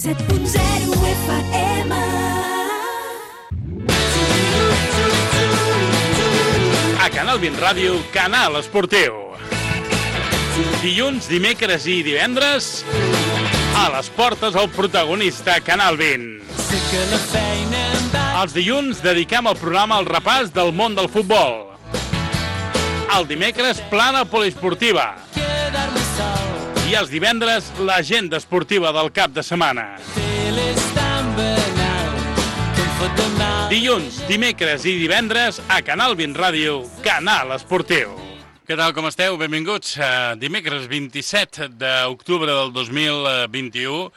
7.0 FM. A Canal 20 Ràdio, Canal Esportiu. Dilluns, dimecres i divendres, a les portes el protagonista Canal 20. Els dilluns dediquem el programa al repàs del món del futbol. El dimecres, plana poliesportiva. I els divendres, l'agenda esportiva del cap de setmana. Dilluns, dimecres i divendres a Canal 20 Ràdio, Canal Esportiu. Què tal, com esteu? Benvinguts. Dimecres 27 d'octubre del 2021,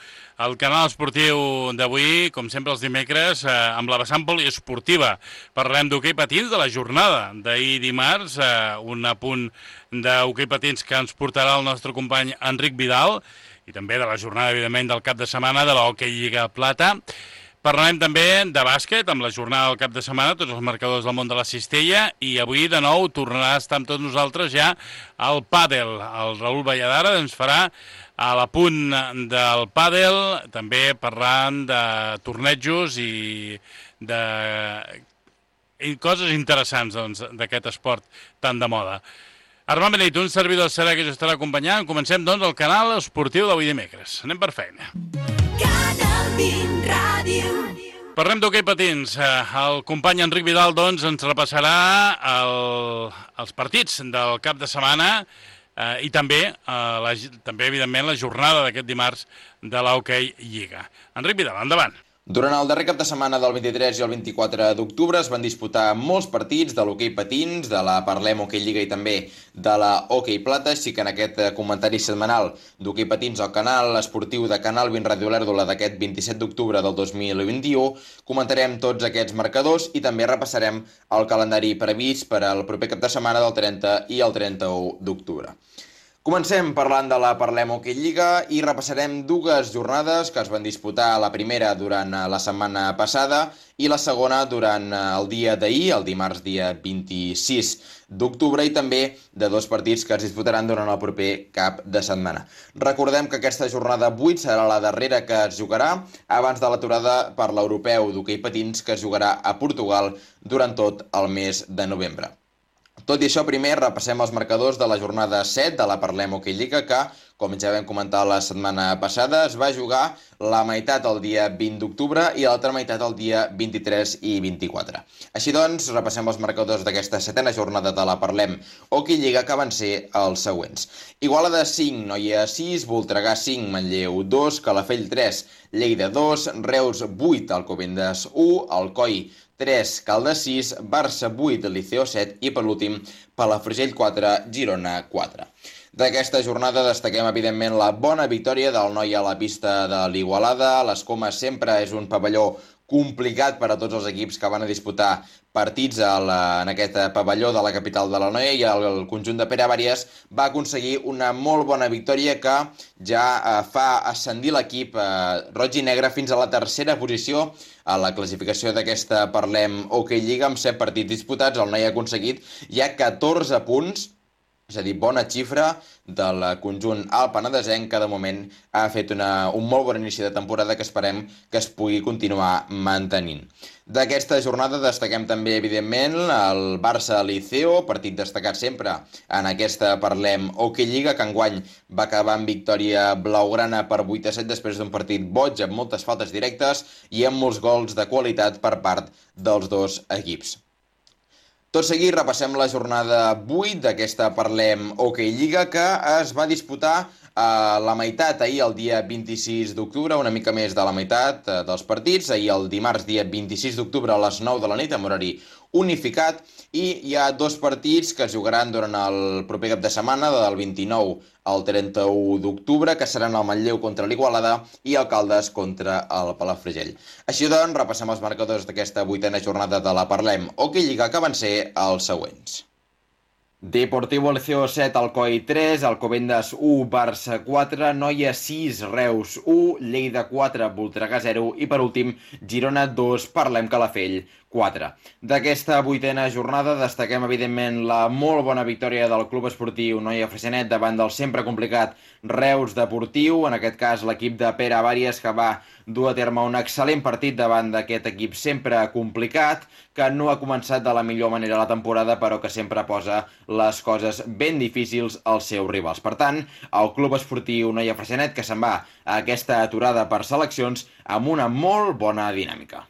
el Canal Esportiu d'avui, com sempre els dimecres, amb la vessant poliesportiva. Parlem d'hoquei patins de la jornada d'ahir dimarts, un apunt d'hoquei patins que ens portarà el nostre company Enric Vidal, i també de la jornada, evidentment, del cap de setmana de l'Hoquei Lliga Plata. Parlarem també de bàsquet, amb la jornada del cap de setmana, tots els marcadors del món de la cistella, i avui, de nou, tornarà a estar amb tots nosaltres ja el pàdel. El Raül Valladara ens farà a l'apunt del pàdel, també parlant de tornejos i coses interessants d'aquest esport tan de moda. Armand Beneit, un servidor serà que us estarà acompanyant. Comencem, doncs, el canal esportiu d'avui dimecres. Anem per feina. Canal 20 Ràdio. Parlem d'hoquei patins. El company Enric Vidal, doncs, ens repassarà els partits del cap de setmana i també, evidentment, la jornada d'aquest dimarts de l'Hoquei Lliga. Enric Vidal, endavant. Durant el darrer cap de setmana del 23 i el 24 d'octubre es van disputar molts partits de l'hoquei patins, de la Parlem Hoquei Lliga i també de la Hoquei Plata, així que en aquest comentari setmanal d'hoquei patins al canal esportiu de Canal 20 Ràdio Olèrdola d'aquest 27 d'octubre del 2021 comentarem tots aquests marcadors i també repassarem el calendari previst per al proper cap de setmana del 30 i el 31 d'octubre. Comencem parlant de la Parlem Hoquei Lliga i repassarem dues jornades que es van disputar, la primera durant la setmana passada i la segona durant el dia d'ahir, el dimarts dia 26 d'octubre, i també de dos partits que es disputaran durant el proper cap de setmana. Recordem que aquesta jornada 8 serà la darrera que es jugarà abans de l'aturada per l'europeu d'hoquei patins que es jugarà a Portugal durant tot el mes de novembre. Tot i això, primer repassem els marcadors de la jornada 7 de la Parlem Hoquei Lliga que, com ja vam comentar la setmana passada, es va jugar la meitat el dia 20 d'octubre i l'altra meitat el dia 23 i 24. Així doncs, repassem els marcadors d'aquesta setena jornada de la Parlem Hoquei Lliga que van ser els següents. Igualada 5, Noia 6, Voltregà 5, Manlleu 2, Calafell 3, Lleida 2, Reus 8, Alcobendas 1, Alcoi 3, Caldes 6, Barça 8, Liceo 7 i, per l'últim, Palafrugell 4, Girona 4. D'aquesta jornada destaquem, evidentment, la bona victòria del Noia a la pista de l'Igualada. Les Comes sempre és un pavelló complicat per a tots els equips que van a disputar partits en aquest pavelló de la capital de l'Anoia, i el conjunt de Pere Àries va aconseguir una molt bona victòria que ja fa ascendir l'equip roig i negre fins a la tercera posició a la classificació d'aquesta Parlem Hoquei Lliga. Amb 7 partits disputats, el Noia ha aconseguit ja 14 punts, és a dir, bona xifra del conjunt alpenadesenc que de moment ha fet un molt bon inici de temporada que esperem que es pugui continuar mantenint. D'aquesta jornada destaquem també, evidentment, el Barça-Liceo, partit destacat sempre en aquesta Parlem Hoquei Lliga, que enguany va acabar amb victòria blaugrana per 8-7 després d'un partit boig, amb moltes faltes directes i amb molts gols de qualitat per part dels dos equips. Tot seguit repassem la jornada 8 d'aquesta Parlem Hoquei Lliga que es va disputar la meitat ahir, el dia 26 d'octubre, una mica més de la meitat dels partits. Ahir, el dimarts, dia 26 d'octubre, a les 9 de la nit, amb horari unificat, i hi ha dos partits que es jugaran durant el proper cap de setmana, del 29 al 31 d'octubre, que seran el Manlleu contra l'Igualada i el Caldes contra el Palafrugell. Així doncs, repassem els marcadors d'aquesta 8a jornada de la Parlem Hoquei Lliga, que van ser els següents. Deportivo Liceo 7, Alcoi 3, Alcobendas 1, Barça 4, Noia 6, Reus 1, Lleida 4, Voltregà 0 i per últim Girona 2, Parlem Calafell 4. D'aquesta 8a jornada destaquem evidentment la molt bona victòria del Club Esportiu Noia Freixenet davant del sempre complicat Reus Deportiu, en aquest cas l'equip de Pere Àries, que va dur a terme un excel·lent partit davant d'aquest equip sempre complicat, que no ha començat de la millor manera la temporada, però que sempre posa les coses ben difícils als seus rivals. Per tant, el Club Esportiu Noia Freixenet, que se'n va a aquesta aturada per seleccions amb una molt bona dinàmica.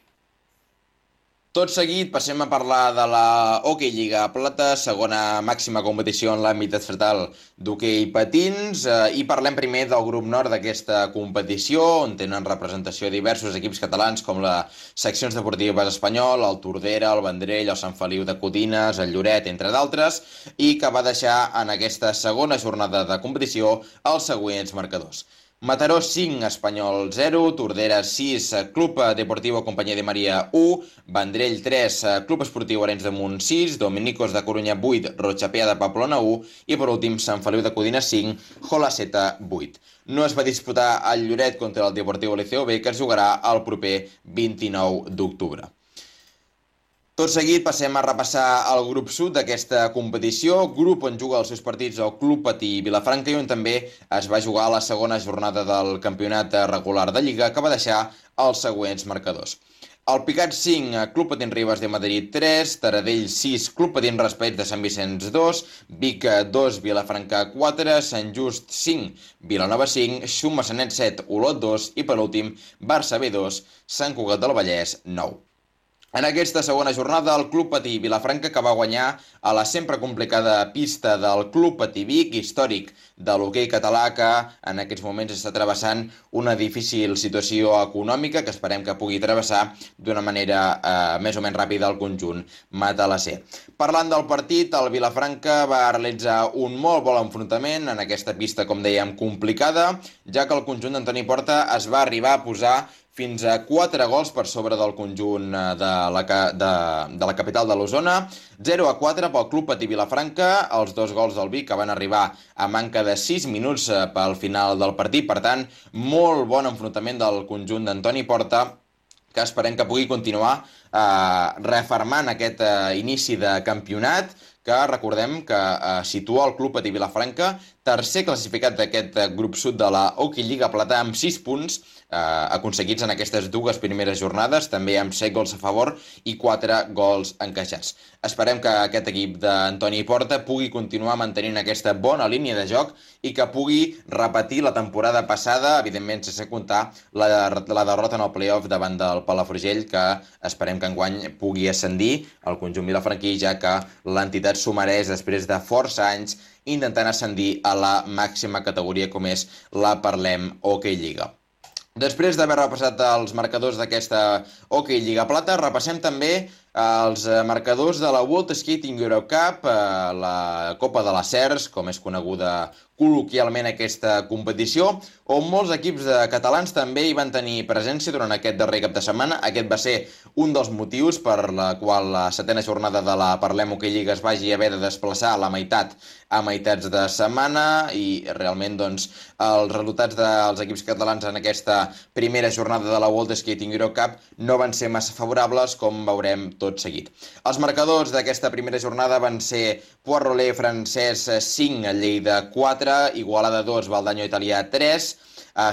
Tot seguit passem a parlar de la Hockey Lliga Plata, segona màxima competició en l'àmbit estatal d'hoquei patins, i parlem primer del grup nord d'aquesta competició, on tenen representació diversos equips catalans com les seccions deportives espanyol, el Tordera, el Vendrell, el Sant Feliu de Codines, el Lloret, entre d'altres, i que va deixar en aquesta segona jornada de competició els següents marcadors. Mataró 5, Espanyol 0, Tordera 6, Club Deportivo Companyia de Maria 1, Vendrell 3, Club Esportiu Arenys de Munt 6, Dominicos de Corunya 8, Rotxapea de Pamplona 1 i per últim Sant Feliu de Codines 5, Jolaceta 8. No es va disputar el Lloret contra el Deportivo Liceo B, que es jugarà el proper 29 d'octubre. Tot seguit passem a repassar el grup sud d'aquesta competició, grup on juga els seus partits el Club Patí Vilafranca i on també es va jugar la segona jornada del campionat regular de Lliga, que va deixar els següents marcadors. El Picat 5, Club Patins Ribes de Madrid 3, Taradell 6, Club Patins Raspeig de Sant Vicenç 2, Vic 2, Vilafranca 4, Sant Just 5, Vilanova 5, Xuma-Sanet 7, Olot 2 i per últim Barça B2, Sant Cugat del Vallès 9. En aquesta segona jornada, el Club Patí Vilafranca, que va guanyar a la sempre complicada pista del Club Patí Vic, històric de l'hoquei català, que en aquests moments està travessant una difícil situació econòmica que esperem que pugui travessar d'una manera més o menys ràpida el conjunt matalasser. Parlant del partit, el Vilafranca va realitzar un molt bon enfrontament en aquesta pista, com dèiem, complicada, ja que el conjunt d'Antoni Porta es va arribar a posar fins a 4 gols per sobre del conjunt de la capital de l'Osona, 0-4 pel Club Patí Vilafranca, els 2 gols del Vic que van arribar a manca de 6 minuts pel final del partit. Per tant, molt bon enfrontament del conjunt d'Antoni Porta, que esperem que pugui continuar refermant aquest inici de campionat, que recordem que situa el Club Patí Vilafranca tercer classificat d'aquest grup sud de la Hockey Lliga Plata amb 6 punts aconseguits en aquestes dues primeres jornades, també amb 7 gols a favor i 4 gols encaixats. Esperem que aquest equip d'Antoni Porta pugui continuar mantenint aquesta bona línia de joc i que pugui repetir la temporada passada, evidentment sense comptar la derrota en el playoff davant del Palafrugell, que esperem que enguany pugui ascendir al conjunt vilafranquí, ja que l'entitat s'ho mereix després de força anys intentant ascendir a la màxima categoria com és la Parlem Hockey Lliga. Després d'haver repassat els marcadors d'aquesta Hockey Lliga Plata, repassem també els marcadors de la World Skating Europe Cup, la Copa de les Cers, com és coneguda col·loquialment aquesta competició, on molts equips catalans també hi van tenir presència durant aquest darrer cap de setmana. Aquest va ser un dels motius per la qual la setena jornada de la Parlem Hockey Lliga es vagi haver de desplaçar a la meitat a meitats de setmana, i realment doncs, els resultats dels equips catalans en aquesta primera jornada de la World Skating Europe Cup no van ser massa favorables, com veurem tot seguit. Els marcadors d'aquesta primera jornada van ser Poirot francès 5, Lleida 4, Igualada 2, Valdanyo Italià 3,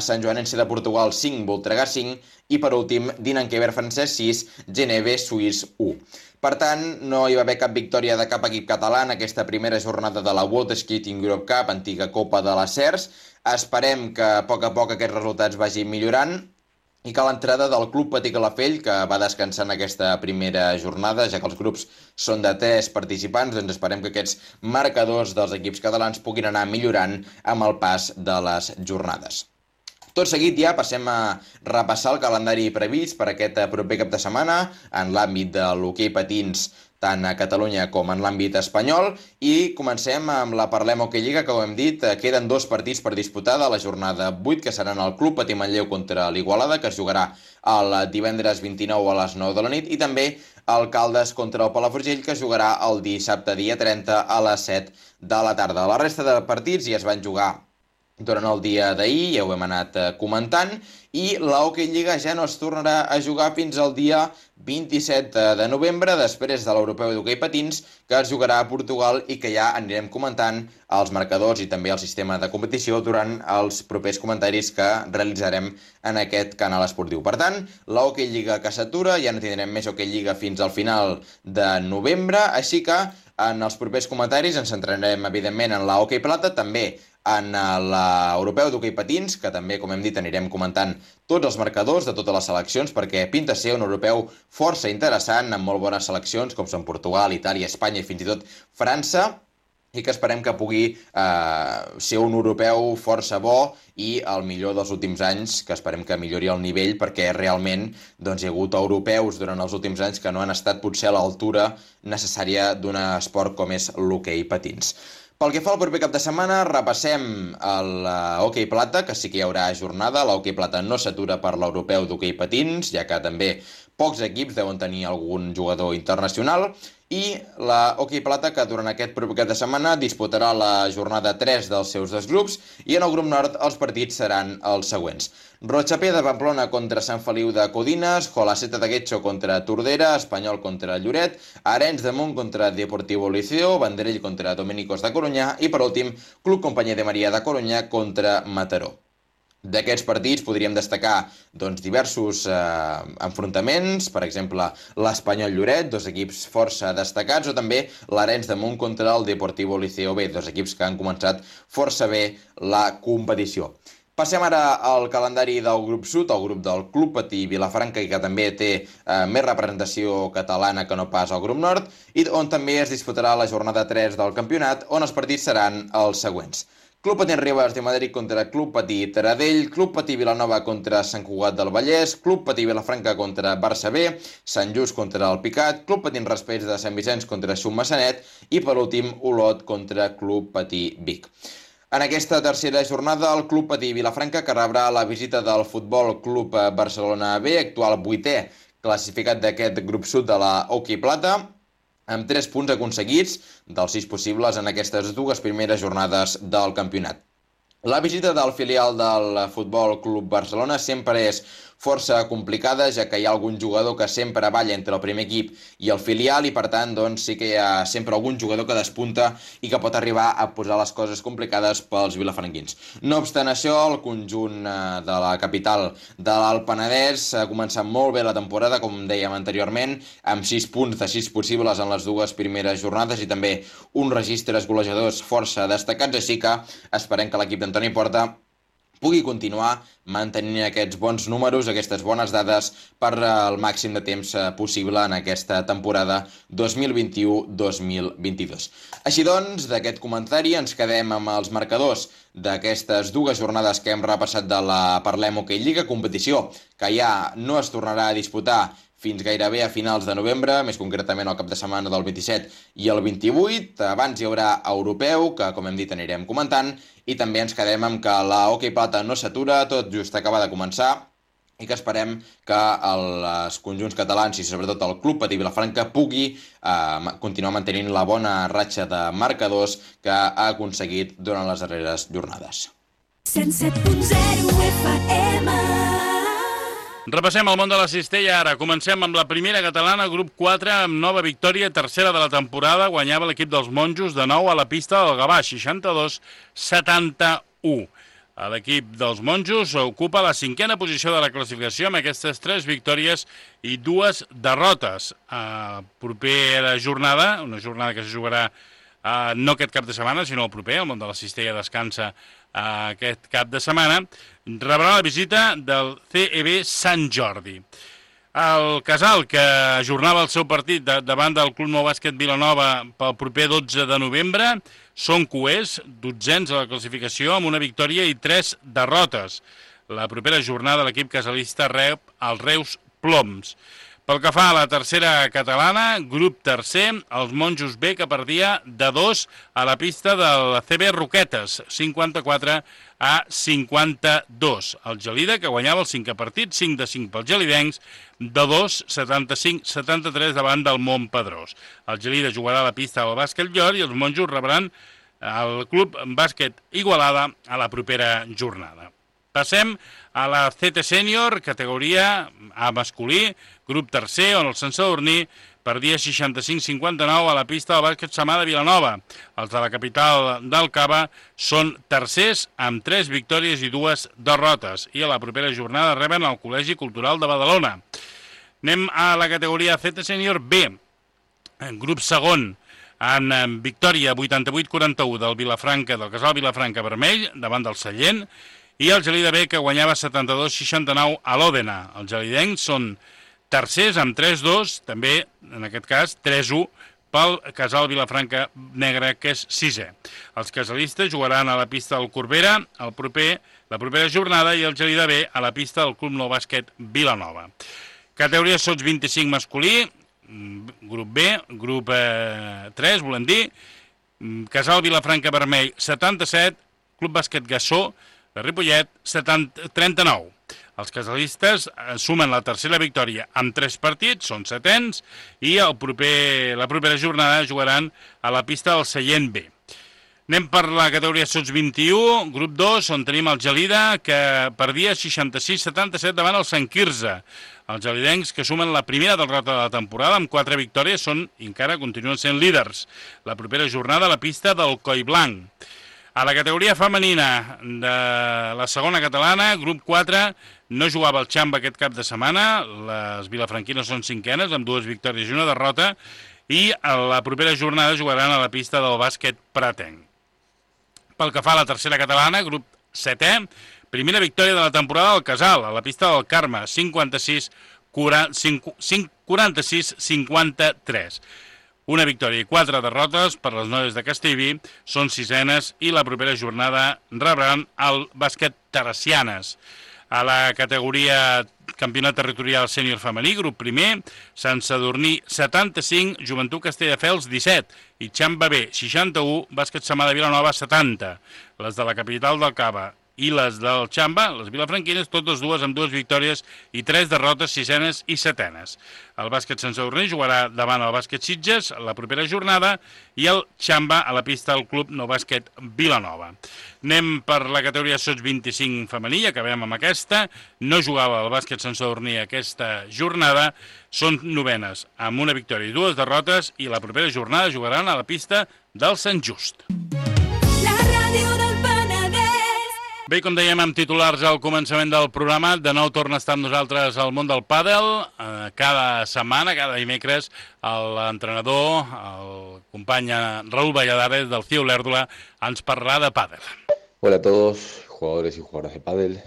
Sant Joanense de Portugal 5, Voltregà 5 i per últim Dinanquever francès 6, Geneve suís 1. Per tant, no hi va haver cap victòria de cap equip català en aquesta primera jornada de la World Skating Europe Cup, antiga Copa de les Cers. Esperem que a poc aquests resultats vagin millorant i que l'entrada del Club Patí Calafell, que va descansar en aquesta primera jornada, ja que els grups són de 3 participants, doncs esperem que aquests marcadors dels equips catalans puguin anar millorant amb el pas de les jornades. Tot seguit ja passem a repassar el calendari previst per aquest proper cap de setmana en l'àmbit de l'hoquei patins tant a Catalunya com en l'àmbit espanyol, i comencem amb la Parlem Hockey Lliga, que ho hem dit, queden 2 partits per disputar de la jornada 8, que seran el Club Patí Manlleu contra l'Igualada, que es jugarà el divendres 29 a les 9 de la nit, i també el Caldes contra el Palafrugell, que es jugarà el dissabte dia 30 a les 7 de la tarda. La resta de partits ja es van jugar durant el dia d'ahir, ja ho hem anat comentant, i la Hockey Lliga ja no es tornarà a jugar fins al dia 27 de novembre, després de l'Europeu d'Hockey Patins, que es jugarà a Portugal i que ja anirem comentant els marcadors i també el sistema de competició durant els propers comentaris que realitzarem en aquest canal esportiu. Per tant, la Hockey Lliga que s'atura, ja no tindrem més Hockey Lliga fins al final de novembre, així que en els propers comentaris ens centrarem, evidentment, en la Hockey Plata, també en l'Europeu d'Hockey Patins, que també, com hem dit, anirem comentant tots els marcadors de totes les seleccions, perquè pinta ser un europeu força interessant, amb molt bones seleccions, com són Portugal, Itàlia, Espanya i fins i tot França, i que esperem que pugui ser un europeu força bo i el millor dels últims anys, que esperem que millori el nivell, perquè realment hi ha hagut europeus durant els últims anys que no han estat potser a l'altura necessària d'un esport com és l'hoquei patins. Pel que fa al proper cap de setmana, repassem l'hoquei plata, que sí que hi haurà jornada. L'hoquei plata no s'atura per l'europeu d'hoquei patins, ja que també pocs equips deuen tenir algun jugador internacional. I la hoquei plata, que durant aquest proper cap de setmana disputarà la jornada 3 dels seus 2 grups, i en el grup nord els partits seran els següents. Rochapé de Pamplona contra Sant Feliu de Codines, Jolaceta de Guetxo contra Tordera, Espanyol contra Lloret, Arenys de Munt contra Deportivo Liceo, Vendrell contra Dominicos de Corunyà i, per últim, Club Companyia de Maria de Corunyà contra Mataró. D'aquests partits podríem destacar diversos enfrontaments, per exemple l'Espanyol Lloret, 2 equips força destacats, o també l'Arenys de Munt contra el Deportivo Liceo B, 2 equips que han començat força bé la competició. Passem ara al calendari del grup sud, el grup del Club Patí Vilafranca, que també té més representació catalana que no pas al grup nord, i on també es disputarà la jornada 3 del campionat, on els partits seran els següents. Club Patí Ribes de Madrid contra Club Patí Taradell, Club Patí Vilanova contra Sant Cugat del Vallès, Club Patí Vilafranca contra Barça B, Sant Just contra el Picat, Club Patí Raspets de Sant Vicenç contra Xummassanet i, per últim, Olot contra Club Patí Vic. En aquesta tercera jornada, el Club Patí Vilafranca, que rebrà la visita del Futbol Club Barcelona B, actual 8è classificat d'aquest grup sud de la Hockey Plata, amb 3 punts aconseguits dels 6 possibles en aquestes 2 primeres jornades del campionat. La visita del filial del Futbol Club Barcelona sempre és força complicada, ja que hi ha algun jugador que sempre balla entre el primer equip i el filial, i per tant sí que hi ha sempre algun jugador que despunta i que pot arribar a posar les coses complicades pels vilafranquins. No obstant això, el conjunt de la capital de l'Alt Penedès ha començat molt bé la temporada, com dèiem anteriorment, amb 6 punts de 6 possibles en les 2 primeres jornades i també uns registres golejadors força destacats, així que esperem que l'equip d'Antoni Porta pugui continuar mantenint aquests bons números, aquestes bones dades per el màxim de temps possible en aquesta temporada 2021-2022. Així doncs, d'aquest comentari ens quedem amb els marcadors d'aquestes 2 jornades que hem repassat de la Parlem Hockey Lliga, competició que ja no es tornarà a disputar fins gairebé a finals de novembre, més concretament al cap de setmana del 27 i el 28. Abans hi haurà europeu, que com hem dit anirem comentant, i també ens quedem amb que la Hockey Plata no s'atura, tot just acaba de començar, i que esperem que els conjunts catalans i sobretot el Club Patí Vilafranca pugui continuar mantenint la bona ratxa de marcadors que ha aconseguit durant les darreres jornades. 107.0 FM. Repassem el món de la cistella ara. Comencem amb la primera catalana, grup 4, amb nova victòria, tercera de la temporada. Guanyava l'equip dels monjos de nou a la pista del Gavà, 62-71. L'equip dels monjos ocupa la 5a posició de la classificació amb aquestes 3 victòries i 2 derrotes. Propera jornada, una jornada que se jugarà no aquest cap de setmana, sinó el proper. El món de la cistella descansa aquest cap de setmana. Rebrà la visita del CEB Sant Jordi. El Casal, que ajornava el seu partit davant del Club Nou Bàsquet Vilanova pel proper 12 de novembre, són coers, 12ens a la classificació, amb una victòria i 3 derrotes. La propera jornada l'equip casalista rep els Reus Ploms. Pel que fa a la tercera catalana, grup tercer, els Monjos B, que perdia de 2 a la pista del CB Roquetes, 54-52. El Gelida, que guanyava el 5è partit, 5-5 pels gelidencs, de 2, 75-73 davant del Montpedrós. El Gelida jugarà a la pista del Bàsquet Llor i els Monjos rebran el Club Bàsquet Igualada a la propera jornada. Passem a la CT Sènior, categoria A masculí, grup tercer, on el Sant Sadurní perdia 65-59 a la pista del bàsquet Samà de Vilanova. Els de la capital del Cava són tercers amb 3 victòries i 2 derrotes i a la propera jornada reben el Col·legi Cultural de Badalona. Anem a la categoria CT Sènior B, grup segon, amb victòria 88-41 del Casal Vilafranca Vermell davant del Sallent, i el Gelida B, que guanyava 72-69 a l'Òdena. Els gelidencs són tercers amb 3-2, també, en aquest cas, 3-1 pel Casal Vilafranca Negre, que és 6è. Els casalistes jugaran a la pista del Corbera la propera jornada i el Gelida B a la pista del Club Nou Bàsquet Vilanova. Categoria sots 25 masculí, grup B, grup 3, volem dir, Casal Vilafranca Vermell 77, Club Bàsquet Gassó de Ripollet 39. Els casalistes sumen la tercera victòria amb 3 partits, són setens, i la propera jornada jugaran a la pista del Sallent B. Anem per la categoria sots 21, grup 2, on tenim el Gelida, que perdia 66-77 davant el Sant Quirze. Els gelidencs, que sumen la primera derrota de la temporada amb 4 victòries, encara continuen sent líders. La propera jornada a la pista del Collblanc. A la categoria femenina de la segona catalana, grup 4, no jugava el Xamba aquest cap de setmana. Les vilafranquines són cinquenes, amb 2 victòries i 1 derrota, i a la propera jornada jugaran a la pista del bàsquet pratenc. Pel que fa a la tercera catalana, grup 7è, primera victòria de la temporada del Casal, a la pista del Carme, 46-53. Una victòria i 4 derrotes per les noies de Castellví, són sisenes i la propera jornada rebran el bàsquet Teresianes. A la categoria campionat territorial sènior femení, grup primer, Sant Sadurní 75, Joventut Castelldefels 17 i Xamba B 61, bàsquet Samà de Vilanova 70. Les de la capital del Cava i les del Xamba, les vilafranquines, totes dues amb 2 victòries i 3 derrotes, sisenes i setenes. El bàsquet Sant Sadurní jugarà davant el bàsquet Sitges la propera jornada i el Xamba a la pista del Club Nou Bàsquet Vilanova. Anem per la categoria sots 25 femení, acabem amb aquesta. No jugava el bàsquet Sant Sadurní aquesta jornada, són novenes, amb una victòria i 2 derrotes, i la propera jornada jugaran a la pista del Sant Just. La ràdio del Penedès. Bé, com dèiem amb titulars al començament del programa, de nou torna a estar amb nosaltres al món del pàdel. Cada setmana, cada dimecres, l'entrenador, el company Raúl Valladares del CIU Olèrdola ens parlarà de pàdel. Hola a todos, jugadores y jugadoras de pádel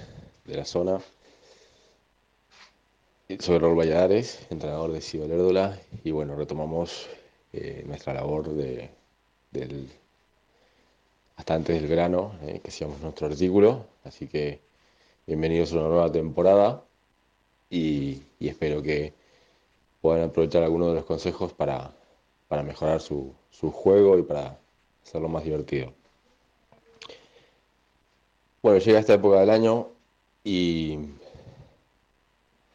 de la zona. Soy Raúl Valladares, entrenador de CIU Olèrdola, y bueno, retomamos nuestra labor hasta antes del verano, que hacíamos nuestro artículo, así que bienvenidos a una nueva temporada y espero que puedan aprovechar algunos de los consejos para mejorar su juego y para hacerlo más divertido. Bueno, llega esta época del año y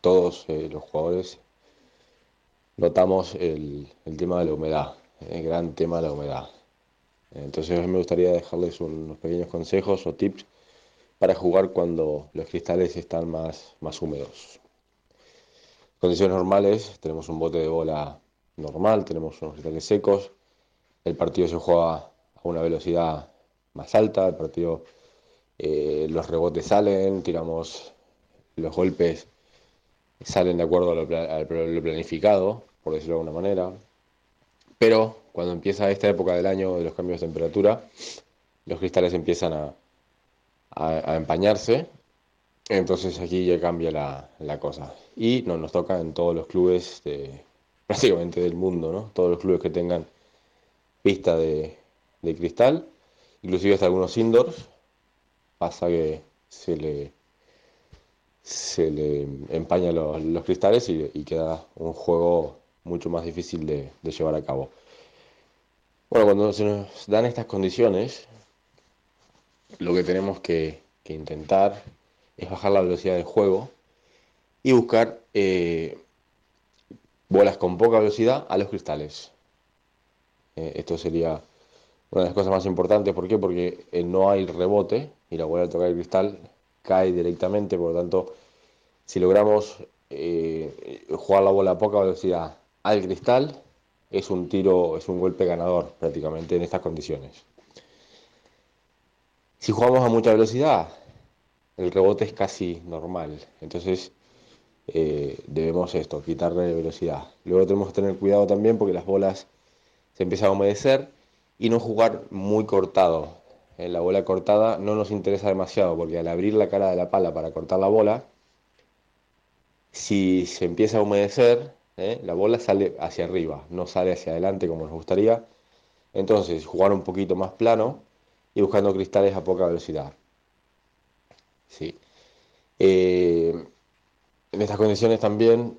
todos los jugadores notamos el tema de la humedad, el gran tema de la humedad. Entonces hoy me gustaría dejarles unos pequeños consejos o tips para jugar cuando los cristales están más húmedos. En condiciones normales tenemos un bote de bola normal, tenemos unos cristales secos, el partido se juega a una velocidad más alta, el partido, los rebotes salen, tiramos los golpes, salen de acuerdo a lo planificado, por decirlo de alguna manera, pero cuando empieza esta época del año de los cambios de temperatura, los cristales empiezan a empañarse, entonces aquí ya cambia la cosa. Y nos toca en todos los clubes prácticamente del mundo, ¿no? Todos los clubes que tengan pista de cristal, inclusive hasta algunos indoors, pasa que se se le empañan los cristales y queda un juego mucho más difícil de llevar a cabo. Bueno, cuando se nos dan estas condiciones, lo que tenemos que intentar es bajar la velocidad del juego y buscar bolas con poca velocidad a los cristales. Esto sería una de las cosas más importantes. ¿Por qué? Porque no hay rebote y la bola al tocar el cristal cae directamente. Por lo tanto, si logramos jugar la bola a poca velocidad al cristal, es un tiro, es un golpe ganador prácticamente en estas condiciones. Si jugamos a mucha velocidad, el rebote es casi normal. Entonces debemos quitarle velocidad. Luego tenemos que tener cuidado también porque las bolas se empiezan a humedecer y no jugar muy cortado. La bola cortada no nos interesa demasiado porque al abrir la cara de la pala para cortar la bola, si se empieza a humedecer, la bola sale hacia arriba, no sale hacia adelante como nos gustaría. Entonces jugar un poquito más plano y buscando cristales a poca velocidad. Sí. En estas condiciones también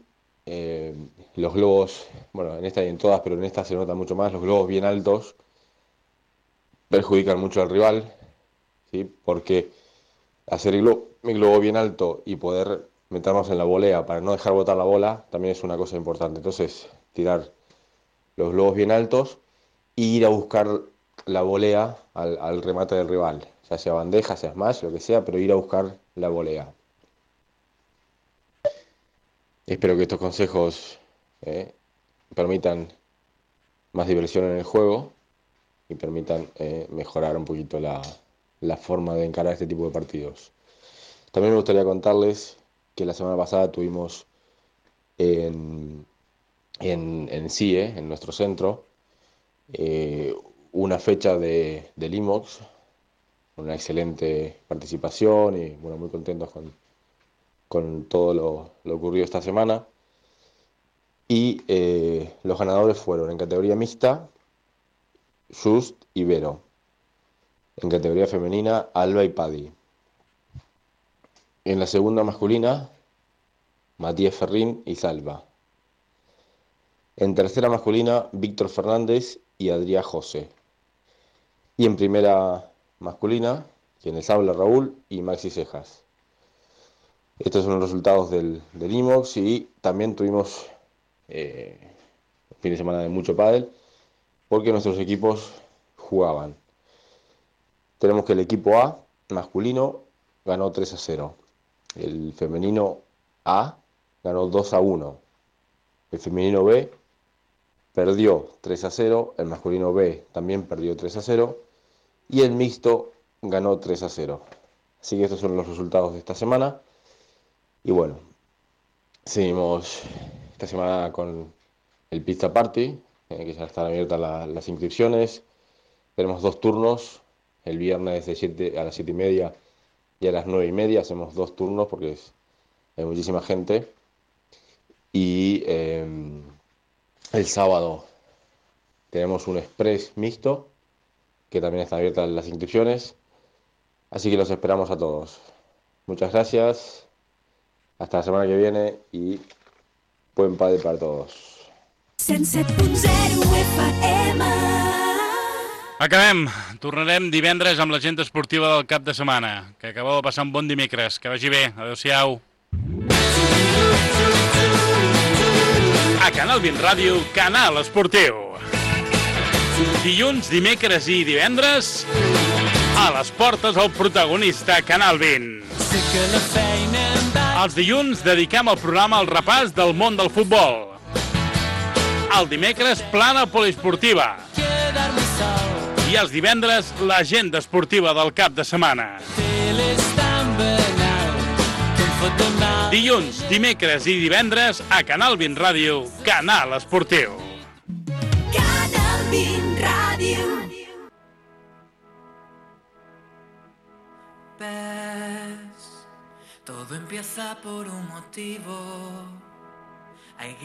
los globos, bueno, en esta y en todas, pero en esta se nota mucho más, los globos bien altos perjudican mucho al rival, ¿sí? Porque hacer el globo bien alto y poder meternos en la volea para no dejar botar la bola también es una cosa importante. Entonces, tirar los globos bien altos e ir a buscar la volea al remate del rival, ya sea bandeja, sea smash, lo que sea, pero ir a buscar la volea. Espero que estos consejos permitan más diversión en el juego y permitan mejorar un poquito la forma de encarar este tipo de partidos. También me gustaría contarles que la semana pasada tuvimos en CIE, en nuestro centro, una fecha del IMOX, una excelente participación y bueno, muy contentos con todo lo ocurrido esta semana. Y los ganadores fueron en categoría mixta, Just y Vero. En categoría femenina, Alba y Paddy. En la segunda masculina, Matías Ferrín y Salva. En tercera masculina, Víctor Fernández y Adrián José. Y en primera masculina, quienes habla Raúl y Maxi Cejas. Estos son los resultados del IMOX y también tuvimos un fin de semana de mucho pádel porque nuestros equipos jugaban. Tenemos que el equipo A masculino ganó 3-0. El femenino A ganó 2-1. El femenino B perdió 3-0. El masculino B también perdió 3-0. Y el mixto ganó 3-0. Así que estos son los resultados de esta semana. Y bueno, seguimos esta semana con el Pizza Party, que ya están abiertas las inscripciones. Tenemos 2 turnos, el viernes a las 7:30 y a las 9:30. Hacemos 2 turnos porque hay muchísima gente. Y el sábado tenemos un express mixto, que también están abiertas las inscripciones. Así que los esperamos a todos. Muchas gracias. Hasta la setmana que viene i buen pádel para todos. 107.0 FM. Acabem. Tornarem divendres amb l'agenda esportiva del cap de setmana. Que acabeu de passar un bon dimecres. Que vagi bé. Adéu-siau. A Canal 20 Ràdio, Canal Esportiu. Dilluns, dimecres i divendres, a les portes el protagonista Canal 20. Els dilluns dediquem el programa al repàs del món del futbol. El dimecres, plana poliesportiva. I els divendres, l'agenda esportiva del cap de setmana. Dilluns, dimecres i divendres, a Canal 20 Ràdio, Canal Esportiu. Canal 20 Radio. Ves, todo empieza por un motivo.